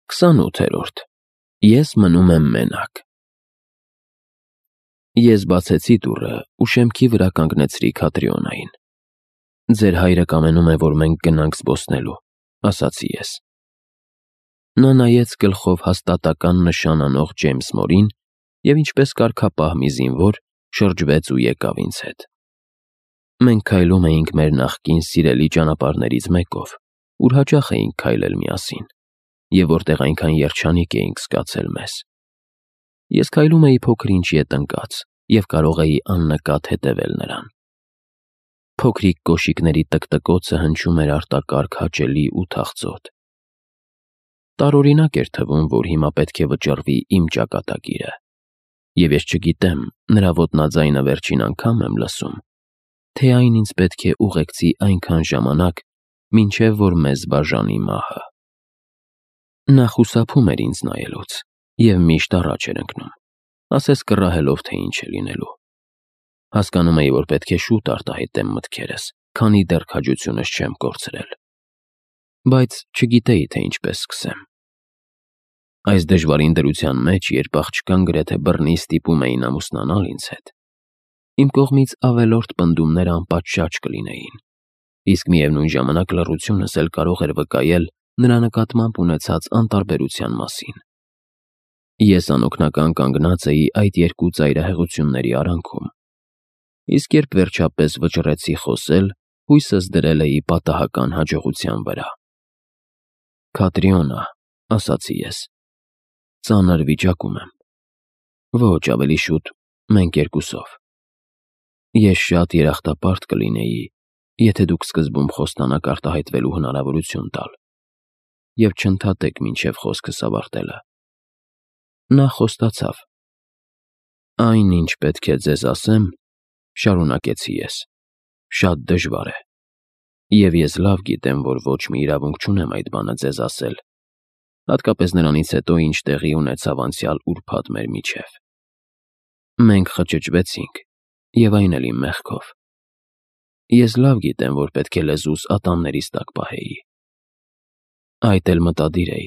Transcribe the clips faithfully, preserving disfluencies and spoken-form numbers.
Քսանութերորդ Ես մնում եմ մենակ։ Ես բացեցի դուռը ու շեմքի վրա կանգնեցրի Քատրիոնային։ Ձեր հայրը կամենում է, որ մենք գնանք զբոսնելու, ասացի ես։ Նա նայեց գլխով հաստատական նշան անող Ջեյմս Մորին և ինչպես կարգապահ մի զինվոր շրջվեց ու եկավ ինձ հետ։ Մենք քայլում էինք մեր նախկին սիրելի ճանապարհներից մեկով, ուր հաճախ էինք քայլել միասին, և որտեղ այնքան երջանիկ էինք զգացել մեզ։ Ես քայլում էի փոքր-ինչ ետ ընկած և կարող էի աննկատ հետևել նրան։ Փոքրիկ կոշիկների տկտկոցը հնչում էր արտակարգ հաճելի ու թախծոտ։ Տարօրինակ էր թվում, որ հիմա պետք է վճռվի իմ ճակատագիրը, և ես չգիտեմ նրա ոտնաձայնը վերջին անգամ եմ լսում, թե այն ինձ պետք է ուղեկցի այնքան ժամանակ, մինչև որ մեզ բաժանի մահը։ Նա խուսափում էր ինձ նայելուց և միշտ առաջ էր ընկնում, ասես կռահելով, թե ինչ է լինելու։ Հասկանում էի, որ պետք է շուտ արտահայտեմ մտքերս, քանի դեռ քաջությունս չեմ կորցրել։ Բայց չգիտեի, թե ինչպես սկսեմ։ Այս դժվարին դրության մեջ, երբ աղջկան գրեթե բռնի ստիպում էին ամուսնանալ ինձ հետ, իմ կողմից ավելորդ պնդումները անպատշաճ կլինեին, իսկ միևնույն ժամանակ լռությունս էլ կարող էր վկայել նրա նկատմամբ ունեցած անտարբերության մասին։ Ես անօգնական կանգնած էի այդ երկու ծայրահեղությունների արանքում, իսկ երբ վերջապես վճռեցի խոսել, հույսս դրել էի պատահական հաջողության վրա։ «Քատրիոնա», ասացի ես, «ծանր վիճակում եմ։ Ոչ, ավելի շուտ մենք երկուսով։ Ես շատ երախտապարտ կլինեի, եթե դուք սկզբում խոստանաք արտահայտվելու հնարավորություն տալ և չընդհատեք մինչև խոսքս ավարտելը»։ Նա խոստացավ։ «Այն, ինչ պետք է ձեզ ասեմ, — շարունակեցի ես, — շատ դժվար է, և ես լավ գիտեմ, որ ոչ մի իրավունք չունեմ այդ բանը ձեզ ասել, հատկապես նրանից հետո, ինչ տեղի ունեցավ անցյալ ուրբաթ մեր միջև։ Մենք խճճվեցինք, և այն էլ իմ մեղքով։ Ես լավ գիտեմ, որ պետք է լեզուս ատամներիս տակ պահեի։ Այդ էլ մտադիր էի,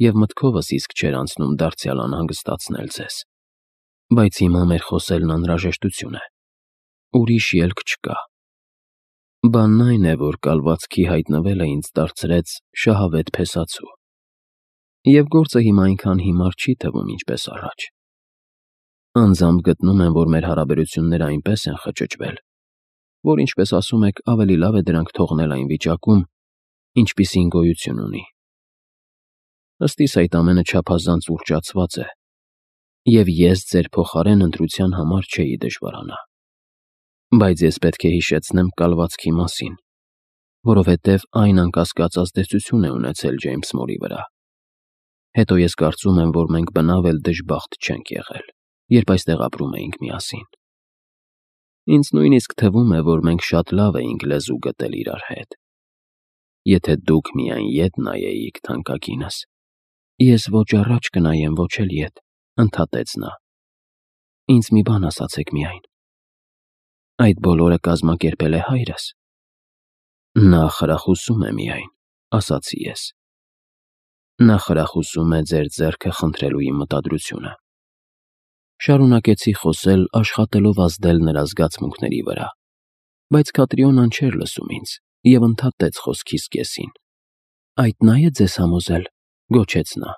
և մտքովս իսկ չէր անցնում դարձյալ անհանգստացնել ձեզ, բայց հիմա մեր խոսելն անհրաժեշտություն է, ուրիշ ելք չկա։ Բանն այն է, որ կալվածքի հայտնվելը ինձ դարձրեց շահավետ փեսացու, և գործը հիմա այնքան հիմար չի թվում, ինչպես առաջ։ Անձամբ գտնում եմ, որ մեր հարաբերությունները այնպես են խճճվել, որ, ինչպես ասում եք, ավելի լավ է դրանք թողնել այն վիճակում, ինչպիսին գոյություն ունի։ Ըստ իս այդ ամենը չափազանց ուռճացված է, և ես ձեր փոխարեն ընտրության համար չէի դժվարանա։ Բայց ես պետք է հիշեցնեմ կալվածքի մասին, որովհետև այն անկասկած ազդեցություն է ունեցել Ջեյմս Մորի վրա։ Հետո ես կարծում եմ, որ մենք բնավ էլ դժբախտ չենք եղել, երբ այստեղ ապրում էինք միասին։ Ինձ նույնիսկ թվում է, որ մենք շատ լավ էինք լեզու գտել իրար հետ։ Եթե դուք միայն ետ նայեիք, թանկագինս։ Ես ոչ առաջ կնայեմ, ոչ էլ ետ, ընդհատեց նա։ Ինձ մի բան ասացեք միայն։ Այդ բոլորը կազմակերպել է հայրս։ Նա խրախուսում է միայն, ասացի ես։ Նա խրախուսում է ձեր ձեռքը խնդրելու իմ մտադրությունը։ Շարունակեցի խոսել, աշխատելով ազդել նրա զգացմունքների վրա, բայց Քատրիոնան չէր լսում ինձ և ընդհատեց խոսքիս կեսին։ Այդ նա է ձեզ համոզել, գոչեց նա։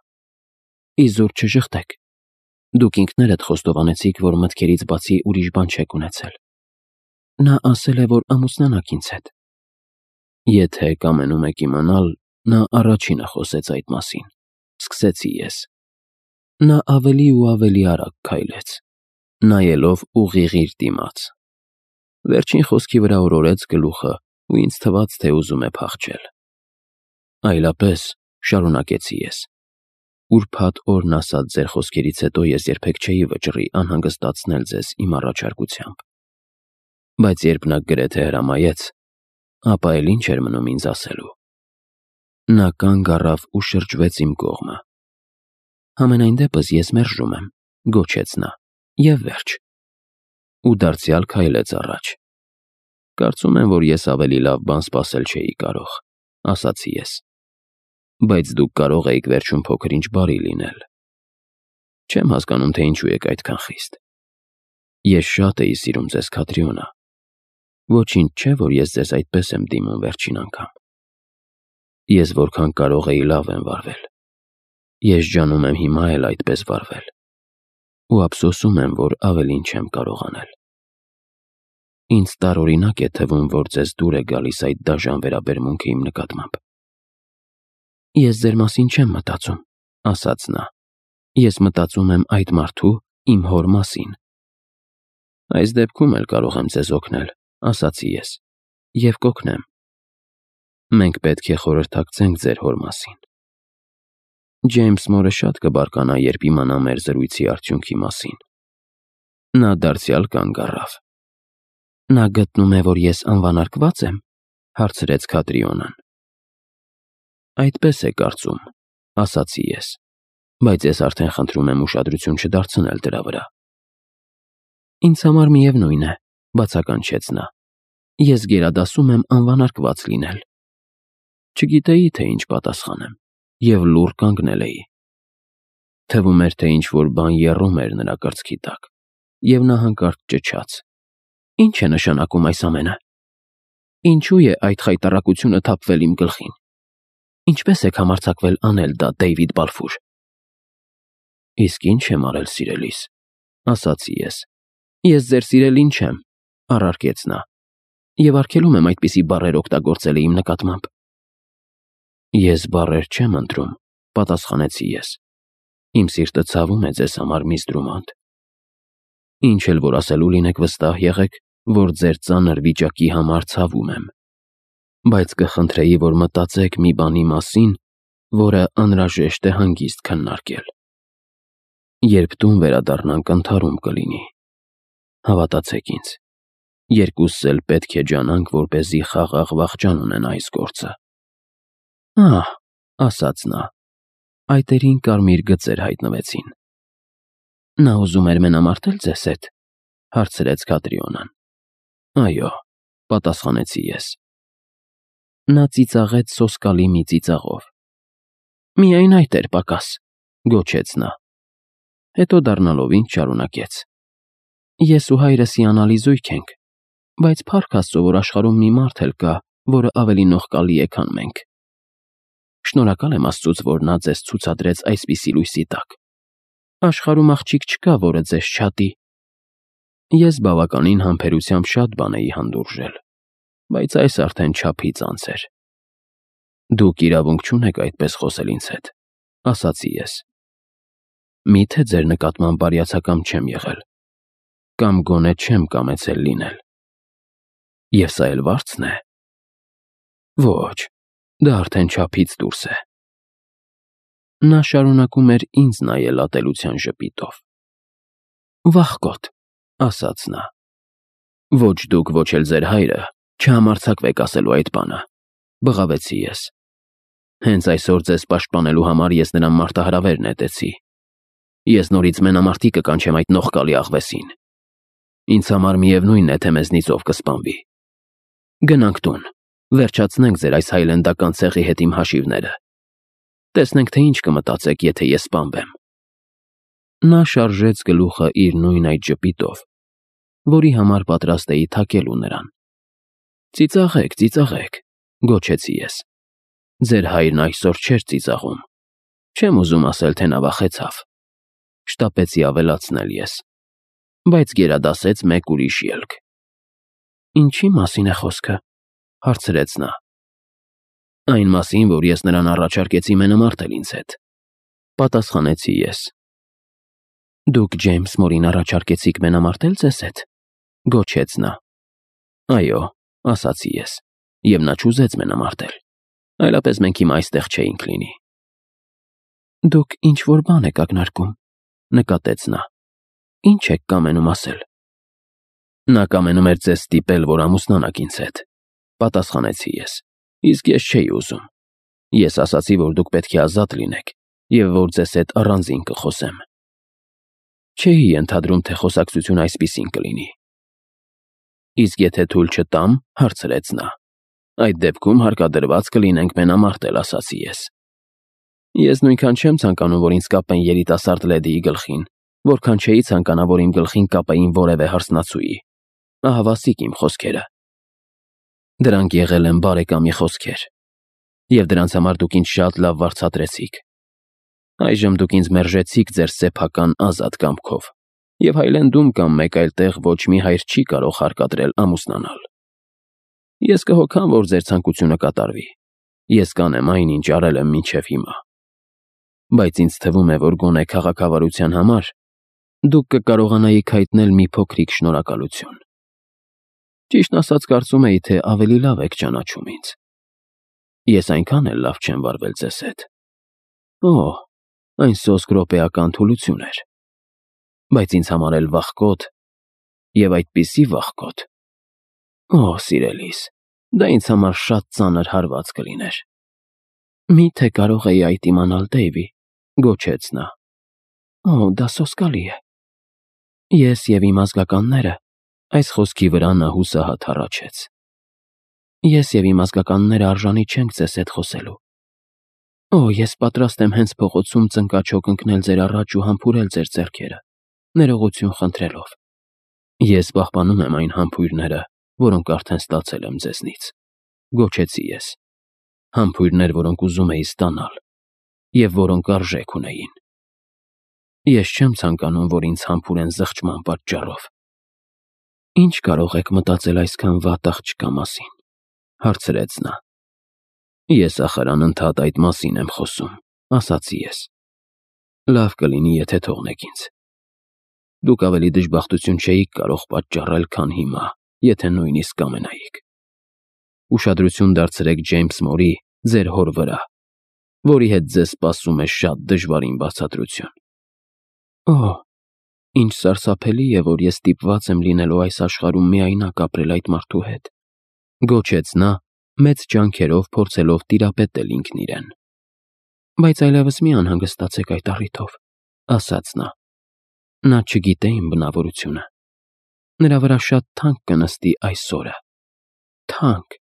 Իզուր չժխտեք։ Դուք ինքներդ խոստովանեցիք, որ մտքերից բացի ուրիշ բան չեք ունեցել։ Նա ասել է, որ ամուսնանաք ինձ հետ։ Եթե կամենում եք իմանալ, նա առաջինը խոսեց այդ մասին, սկսեցի ես։ Նա ավելի ու ավելի արագ քայլեց, նայելով ուղիղ իր դիմաց։ Վերջին խոսքի վրա օրորեց գլուխը ու ինձ թվաց, թե ուզում է փախչել։ Այլապես, շարունակեցի ես, ուրբաթ օրն ասած ձեր խոսքերից հետո ես երբեք չէի վճռի անհանգստացնել ձեզ իմ առաջարկությամբ։ Բայց երբ նա գրեթե հրամայեց, ապա էլ ինչ էր մնում ինձ ասելու։ Նա կանգ առավ ու շրջվեց իմ կողմը։ Համենայն դեպս ես մերժում եմ, գոչեց նա, և վերջ։ Ու դարձյալ քայլեց առաջ։ Կարծում եմ, որ ես ավելի լավ բան սպասել չէի կարող, ասացի ես։ բայց դուք կարող էիք վերջում փոքր-ինչ բարի լինել։ Չեմ հասկանում, թե ինչու եք այդքան խիստ։ Ես շատ էի սիրում ձեզ, Քատրիոնա։ Ոչինչ չէ, որ ես ձեզ այդպես եմ դիմում վերջին անգամ։ Ես որքան կարող էի լավ եմ վարվել։ Ես ջանում եմ հիմա էլ այդպես վարվել։ Ու ափսոսում եմ, որ ավելին չեմ կարող անել։ Ինձ տարօրինակ է թվում, որ ձեզ դուր է գալիս այդ դաժան վերաբերմունքը իմ նկատմամբ։ Ես ձեր մասին չեմ մտածում, ասաց նա։ Ես մտածում եմ այդ մարդու, իմ հոր մասին։ Այս դեպքում էլ կարող եմ ձեզ օգնել, ասացի ես, և կօգնեմ։ Մենք պետք է խորհրդակցենք ձեր հոր մասին։ Ջեյմս մորը շատ կբարկանա, երբ իմանա մեր զրույցի արդյունքի մասին։ Նա դարձյալ կանգ առավ։ Նա գտնում է, որ ես անվանարկվա՞ծ եմ, հարցրեց Քատրիոնան։ Այդպես է կարծում, ասացի ես, բայց ես արդեն խնդրում եմ ուշադրություն չդարձնել դրա վրա։ Ինձ համար միևնույն է, բացականչեց նա։ Ես գերադասում եմ անվանարկված լինել։ Չգիտեի, թե ինչ պատասխանեմ, և լուռ կանգնել էի։ Թվում էր, թե ինչ-որ բան եռում էր նրա կրծքի տակ, և նա հանկարծ ճչաց. Ինչ է նշանակում այս ամենը։ Ինչու է այդ խայտառակությունը թափվել իմ գլխին։ Ինչպես եք համարձակվել անել դա, Դեյվիդ Բալֆուր։ Իսկ ինչ եմ արել, սիրելիս, ասացի ես։ Ես ձեր սիրելին չեմ, առարկեց նա, և արգելում եմ այդպիսի բառեր օգտագործելը իմ նկատմամբ։ Ես բառեր չեմ ընտրում, պատասխանեցի ես։ Իմ սիրտը ցավում է ձեզ համար, միս Դրումանդ։ Ինչ էլ որ ասելու լինեք, վստահ եղեք, որ ձեր ծանր վիճակի համար ցավում եմ, բայց կխնդրեի, որ մտածեք մի բանի մասին, որը անհրաժեշտ է հանգիստ քննարկել։ Երբ տուն վերադառնանք, ընդհարում կլինի։ Հավատացեք ինձ, երկուսս էլ պետք է ջանանք, որպեսզի խաղաղ վախճան ունենա այս գործը։ Ահ, ասաց նա, այտերին կարմիր գծեր հայտնվեցին։ Նա ուզում էր մենամարտել ձեզ հետ, հարցրեց Քատրիոնան։ Այո, պատասխանեցի ես։ Նա ծիծաղեց սոսկալի մի ծիծաղով։ Միայն այդ էր պակաս, գոչեց նա։ Հետո դառնալով ինձ շարունակեց. Ես ու հայրս հիանալի զույգ ենք, բայց փառք Աստծո, որ աշխարհում մի մարդ էլ կա, որը ավելի նողկալի է, քան մենք։ Շնորհակալ եմ Աստծուց, որ նա ձեզ ցուցադրեց այսպիսի լույսի տակ։ Աշխարհում աղջիկ չկա, որը ձեզ չհատի։ Ես բավականին համբերությամբ շատ բան էի հանդուրժել, բայց այս արդեն չափից անց էր։ Դուք իրավունք չունեք այդպես խոսել ինձ հետ, ասացի ես։ Միթե ձեր նկատմամբ բարյացակամ չեմ եղել, կամ գոնե չեմ կամեցել լինել։ Եվ սա էլ վարձն է։ Ոչ, դա արդեն չափից դուրս է։ Նա շարունակում էր ինձ նայել ատելության ժպիտով։ Վախկոտ, ասաց նա։ Ոչ դուք, ոչ էլ ձեր հայրը չհամարձակվեք ասելու այդ բանը, բղավեցի ես։ Հենց այսօր ձեզ պաշտպանելու համար ես նրան մարտահրավեր նետեցի։ Ես նորից մենամարտի կկանչեմ այդ նողկալի աղվեսին։ Ինձ համար միևնույն է, թե մեզնից ով կսպանվի։ Գնանք տուն, վերջացնենք ձեր այս հայլենդական ցեղի հետ իմ հաշիվները։ Տեսնենք, թե ինչ կմտածեք, եթե ես սպանվեմ։ Նա շարժեց գլուխը իր նույն այդ ժպիտով, որի համար պատրաստ էի թակելու նրան։ Ծիծաղեք, ծիծաղեք, գոչեցի ես։ Ձեր հայրն այսօր չէր ծիծաղում։ Չեմ ուզում ասել, թե նա վախեցավ։ Շտապեցի ավելացնել ես, բայց գերադասեց մեկ ուրիշ ելք։ Ինչի մասին է խոսքը, հարցրեց նա։ Այն մասին, որ ես նրան առաջարկեցի մենամարտել ինձ հետ, պատասխանեցի ես։ Դուք Ջեյմս Մորին առաջարկեցիք մենամարտել ձեզ հետ, գոչեց նա։ Այո, ասացի ես, և նա չուզեց մենամարտել, այլապես մենք հիմա այստեղ չէինք լինի։ Դուք ինչ-որ բան եք ակնարկում, նկատեց նա։ Ինչ եք կամենում ասել։ Նա կամենում էր ձեզ ստիպել, որ ամուսնանաք ինձ հետ, պատասխանեցի ես, իսկ ես չէի ուզում։ Ես ասացի, որ դուք պետք է ազատ լինեք, և որ ձեզ հետ առանձին կխոսեմ։ Չէի ենթադրում, թե խոսակցությունը այսպիսին կլինի։ Իսկ եթե թույլ չտամ, հարցրեց նա, այդ դեպքում հարկադրված կլինենք մենամարտել, ասացի ես։ Ես նույնքան չեմ ցանկանում, որ ինձ կապեն երիտասարդ լեդիի գլխին, որքան չէի ցանկանա, որ իմ գլխին կապեին որևէ հարսնացուի։ Ահավասիկ իմ խոսքերը։ Դրանք եղել են բարեկամի խոսքեր, և դրանց համար դուք ինձ շատ լավ վարձատրեցիք։ Այժմ դուք ինձ մերժեցիք ձեր սեփական ազատ կամքով, և Հայլենդում կամ մեկ այլ տեղ ոչ մի հայր չի կարող հարկադրել ամուսնանալ։ Ես կհոգամ, որ ձեր ցանկությունը կատարվի։ Ես կանեմ այն, ինչ արել եմ մինչև հիմա։ Բայց ինձ թվում է, որ գոնե քաղաքավարության համար դուք կկարողանայիք հայտնել մի փոքրիկ շնորհակալություն։ Ճիշտն ասած, կարծում էի, թե ավելի լավ եք ճանաչում ինձ։ Ես այնքան էլ լավ չեմ վարվել ձեզ հետ։ Օ, այն սոսկ րոպեական թուլություն էր։ Բայց ինձ համար էլ վախկոտ, և այդպիսի վախկոտ։ Օ, սիրելիս, դա ինձ համար շատ ծանր հարված կլիներ։ Մի՞թե կարող էի այդ իմանալ, Դեյվի, գոչեց նա։ Օ, դա սոսկալի է։ Ես և իմ ազգականները, այս խոսքի վրա նա հուսահատ հառաչեց։ Ես և իմ ազգականները արժանի չենք ձեզ հետ խոսելու։ Օ, ես պատրաստ եմ հենց փողոցում ծնկաչոք ընկնել ձեր առաջ ու համբուրել ձեր ձեռքերը, ներողություն խնդրելով։ Ես պահպանում եմ այն համբույրները, որոնք արդեն ստացել եմ ձեզնից, գոչեցի ես։ Համբույրներ, որոնք ուզում էի ստանալ, և որոնք արժեք ունեին։ Ես չեմ ցանկանում, որ ինձ համբուրեն զղջման պատճառով։ Ինչ կարող եք մտածել այսքան վատ աղջկա մասին, հարցրեց նա։ Ես ախր անընդհատ այդ մասին եմ խոսում, ասացի ես։ Լավ կլինի, եթե թողնեք ինձ։ Դուք ավելի դժբախտություն չէիք կարող պատճառել, քան հիմա, եթե նույնիսկ կամենայիք։ Ուշադրություն դարձրեք Ջեյմս Մորի, ձեր հոր վրա, որի հետ ձեզ սպասում է շատ դժվարին բացատրություն։ Օ, ինչ սարսափելի է, որ ես ստիպված եմ լինելու այս աշխարհում միայնակ ապրել այդ մարդու հետ, գոչեց նա, մեծ ջանքերով փորձելով տիրապետել ինքն իրեն։ Բայց այլևս մի անհանգստացեք այդ առիթով, ասաց նա։ Նա չգիտե իմ բնավորությունը։ Նրա վրա շատ թանկ կնստի այս օրը։ Թանկ,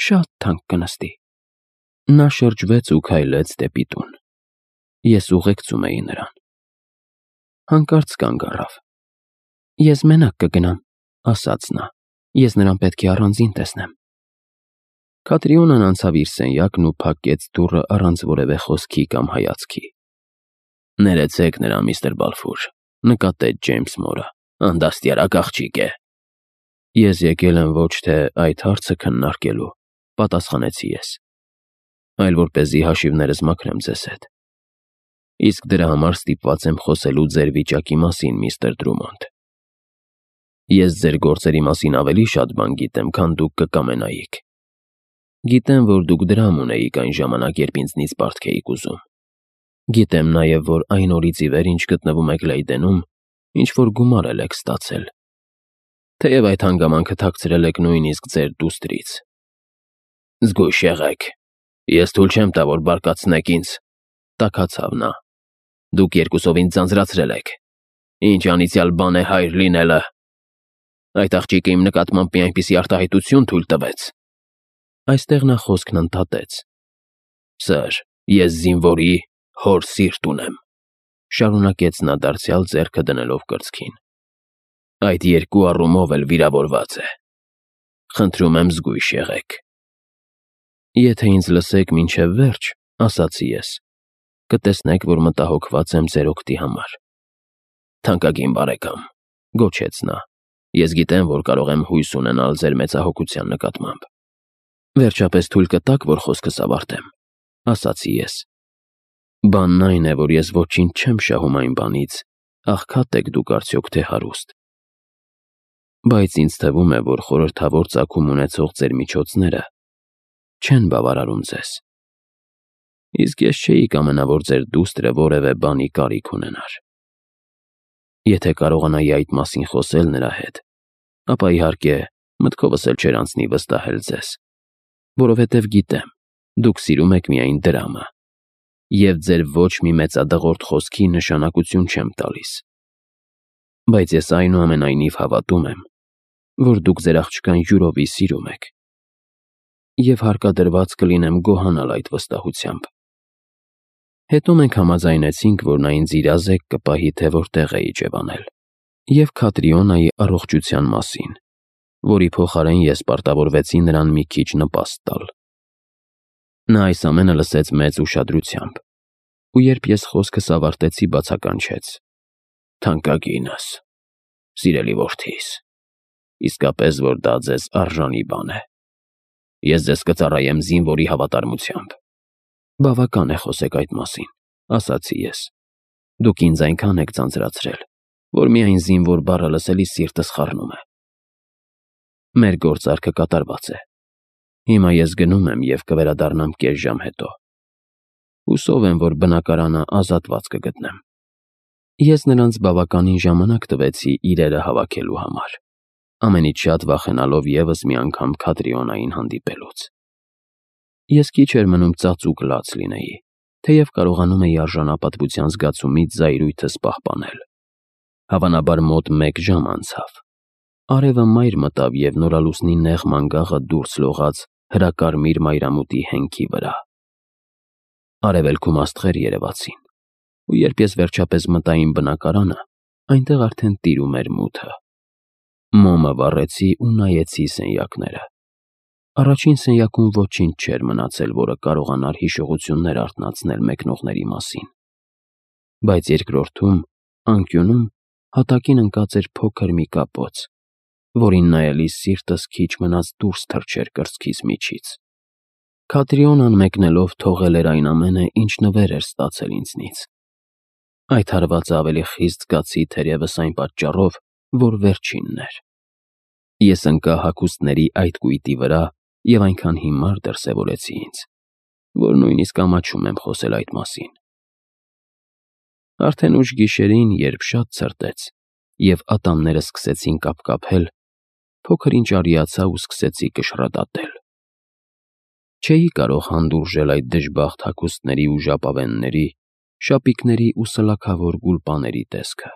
շատ թանկ կնստի։ Նա շրջվեց ու քայլեց դեպի տուն։ Ես ուղեկցում էի նրան։ Հանկարծ կանգ առավ։ Ես մենակ կգնամ, ասաց նա։ Ես նրան պետք է առանձին տեսնեմ։ Քատրիոնան անցավ իր սենյակն ու փակեց դուռը առանց որևէ խոսքի կամ հայացքի։ Ներեցեք նրան, միստր Բալֆուր, նկատեց Ջեյմս Մորը, անդաստիարակ աղջիկ է։ Ես եկել եմ ոչ թե այդ հարցը քննարկելու, պատասխանեցի ես, այլ որպեսզի հաշիվներս մաքրեմ ձեզ հետ։ Իսկ դրա համար ստիպված եմ խոսելու ձեր վիճակի մասին, միստր Դրումոնդ։ Ես ձեր գործերի մասին ավելի շատ բան գիտեմ, քան դուք կկամենայիք։ Գիտեմ, որ դուք դրամ ունեիք այն ժամանակ, երբ ինձնից պարտք էիք ուզում։ Գիտեմ նաև, որ այն օրից ի վեր, ինչ գտնվում եք Լեյդենում, ինչ-որ գումար եք ստացել։ Թեև այդ հանգամանքը թաքցրել եք նույնիսկ ձեր դուստրից։ Զգույշ եղեք, ես թույլ չեմ տա, որ բարկացնեք ինձ, տաքացավ նա։ Դուք երկուսով ինձ ձանձրացրել եք։ Ինչ անիծյալ բան է հայր լինելը։ Այդ աղջիկը իմ նկատմամբ մի այնպիսի արտահայտություն թույլ տվեց։ Այստեղ նա խոսքն ընդհատեց։ Սըր, ես զինվորի հոր սիրտ ունեմ, շարունակեց նա դարձյալ ձեռքը դնելով կրծքին։ Այդ երկու առումով էլ վիրավորված է։ Խնդրում եմ զգույշ եղեք։ Եթե ինձ լսեք մինչև վերջ, ասացի ես, կտեսնեք, որ մտահոգված եմ ձեր օգտի համար։ Թանկագին բարեկամ, գոչեց նա, ես գիտեմ, որ կարող եմ հույս ունենալ ձեր մեծահոգության նկատմամբ։ Վերջապես թույլ կտաք, որ խոսքս ավարտեմ, ասացի ես։ Բանն այն է, որ ես ոչինչ չեմ շահում այն բանից, աղքատ եք դուք արդյոք թե հարուստ։ Բայց ինձ թվում է, որ խորհրդավոր ծագում ունեցող ձեր միջոցները չեն բավարարում ձեզ։ Իսկ ես չէի կամենա, որ ձեր դուստրը որևէ բանի կարիք ունենար։ Եթե կարողանայի այդ մասին խոսել նրա հետ, ապա իհարկե մտքովս էլ չէր անցնի վստահել ձեզ, որովհետև գիտեմ, դուք սիրում եք միայն դրամը, և ձեր ոչ մի մեծադղորդ խոսքի նշանակություն չեմ տալիս։ Բայց ես այնուամենայնիվ հավատում եմ, որ դուք ձեր աղջկան յուրովի սիրում եք, և հարկադրված կլինեմ գոհանալ այդ վստահությամբ։ Հետո մենք համաձայնեցինք, որ նա ինձ իրազեկ կպահի, թե որտեղ էի ջևանել, և Քատրիոնայի առողջության մասին, որի փոխարեն ես պարտավորվեցի նրան մի քիչ նպաստ տալ։ Նա այս ամենը լսեց մեծ ուշադրությամբ, ու երբ ես խոսքս ավարտեցի, բացականչեց. «Թանկագինս, սիրելի որդիս, իսկապես որ դա ձեզ արժանի բան է։ Ես ձեզ կծառայեմ զինվորի հավատարմությամբ»։ «Բավական է խոսեք այդ մասին», ասացի ես։ «Դուք ինձ այնքան եք ձանձրացրել, որ միայն զինվոր բառը լսելիս սիրտս խառնում է։ Մեր գործարքը կատարված է։ Հիմա ես գնում եմ և կվերադառնամ կես ժամ հետո։ Հուսով եմ, որ բնակարանը ազատված կգտնեմ»։ Ես նրանց բավականին ժամանակ տվեցի իրերը հավաքելու համար, ամենից շատ վախենալով ևս մի անգամ Քատրիոնային հանդիպելուց։ Ես քիչ էր մնում ծածուկ լաց լինեի, թեև կարողանում էի արժանապատվության զգացումից զայրույթս պահպանել։ Հավանաբար մոտ մեկ ժամ անցավ։ Արևը մայր մտավ և նորալուսնի նեղ մանգաղը դուրս լողաց հրակարմիր մայրամուտի հենքի վրա։ Արևելքում աստղեր երևացին, ու երբ ես վերջապես մտա իմ բնակարանը, այնտեղ արդեն տիրում էր մութը։ Մոմը վառեցի ու նայեցի սենյակները։ Առաջին սենյակում ոչինչ չէր մնացել, որը կարողանար հիշողություններ արթնացնել մեկնողների մասին, բայց երկրորդում, անկյունում, հատակին ընկած էր փոքր մի կապոց, որին նայելիս սիրտս քիչ մնաց դուրս թռչեր կրծքիս միջից։ Քատրիոնան մեկնելով թողել էր այն ամենը, ինչ նվեր էր ստացել ինձնից։ Այդ հարվածը ավելի խիստ զգացի թերևս այն պատճառով, որ վերջինն էր։ Ես ընկա հագուստների այդ կույտի վրա և այնքան հիմար դրսևորեցի ինձ, որ նույնիսկ ամաչում եմ խոսել այդ մասին։ Արդեն ուշ գիշերին, երբ շատ ցրտեց, և ատամներս սկսեցին կապկապել, փոքր-ինչ արիացա ու սկսեցի կշռադատել։ Չէի կարող հանդուրժել այդ դժբախտ հագուստների ու ժապավենների, շապիկների ու սլաքավոր գուլպաների տեսքը։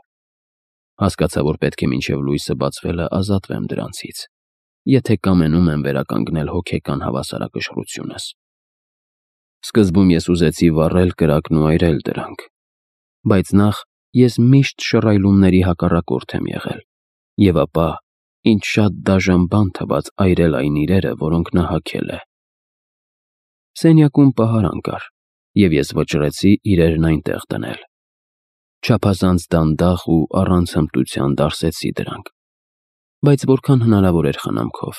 Հասկացա, որ պետք է մինչև լույսը բացվելը ազատվեմ դրանցից, եթե կամենում եմ վերականգնել հոգեկան հավասարակշռությունս։ Սկզբում ես ուզեցի վառել կրակն ու այրել դրանք, բայց նախ ես միշտ շռայլումների հակառակորդ եմ եղել, և ապա, ինձ շատ դաժան բան թվաց այրել այն իրերը, որոնք նա հագել է։ Սենյակում պահարան կար, և ես վճռեցի իրերն այնտեղ դնել։ Չափազանց դանդաղ ու առանց հմտության դարսեցի դրանք, բայց որքան հնարավոր էր խնամքով,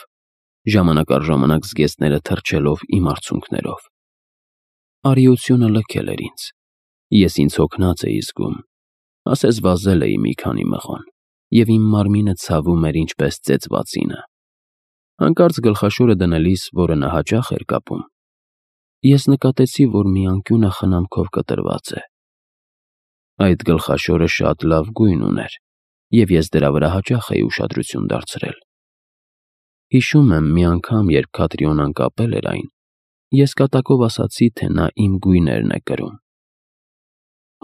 ժամանակ առ ժամանակ զգեստները թռչելով իմ արցունքներով։ Արիությունը լքել էր ինձ, ես ինձ հոգնած էի զգում, ասես վազել էի մի քանի մղոն, և իմ մարմինը ցավում էր ինչպես ծեծվածինը։ Հանկարծ գլխաշորը դնելիս, որը նա հաճախ էր կապում, ես նկատեցի, որ մի անկյունը խնամքով կտրված է։ Այդ գլխաշորը շատ լավ գույն ուներ, և ես դրա վրա հաճախ էի ուշադրություն դարձրել։ Հիշում եմ, մի անգամ, երբ Քատրիոնան կապել էր այն, ես կատակով ասացի, թե նա իմ գույներն է կրում։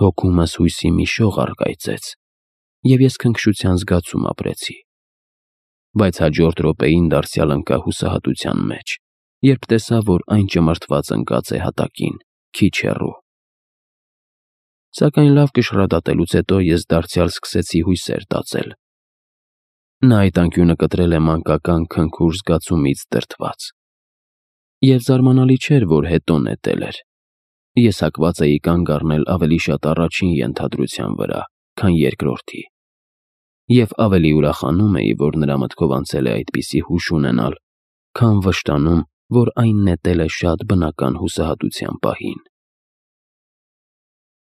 Հոգումս հույսի մի շող առկայծեց, և ես քնքշության զգացում ապրեցի։ Բայց հաջորդ րոպեին դարձյալ ընկա հուսահատության մեջ, երբ տեսա, որ այն ճմրթված ընկած է հատակին, քիչ հեռու։ Սակայն լավ կշռադատելուց հետո ես դարձյալ սկսեցի հույսեր տածել։ Նա այդ անկյունը կտրել է մանկական քնքուշ զգացումից դրդված։ Եվ զարմանալի չէր, որ հետո նետել էր։ Ես հակված էի կանգ առնել ավելի շատ առաջին ենթադրության վրա, քան երկրորդի, և ավելի ուրախանում էի, որ նրա մտքով անցել է այդպիսի հուշ ունենալ, քան վշտանում, որ այն նետել է շատ բնական հուսահատության պահին։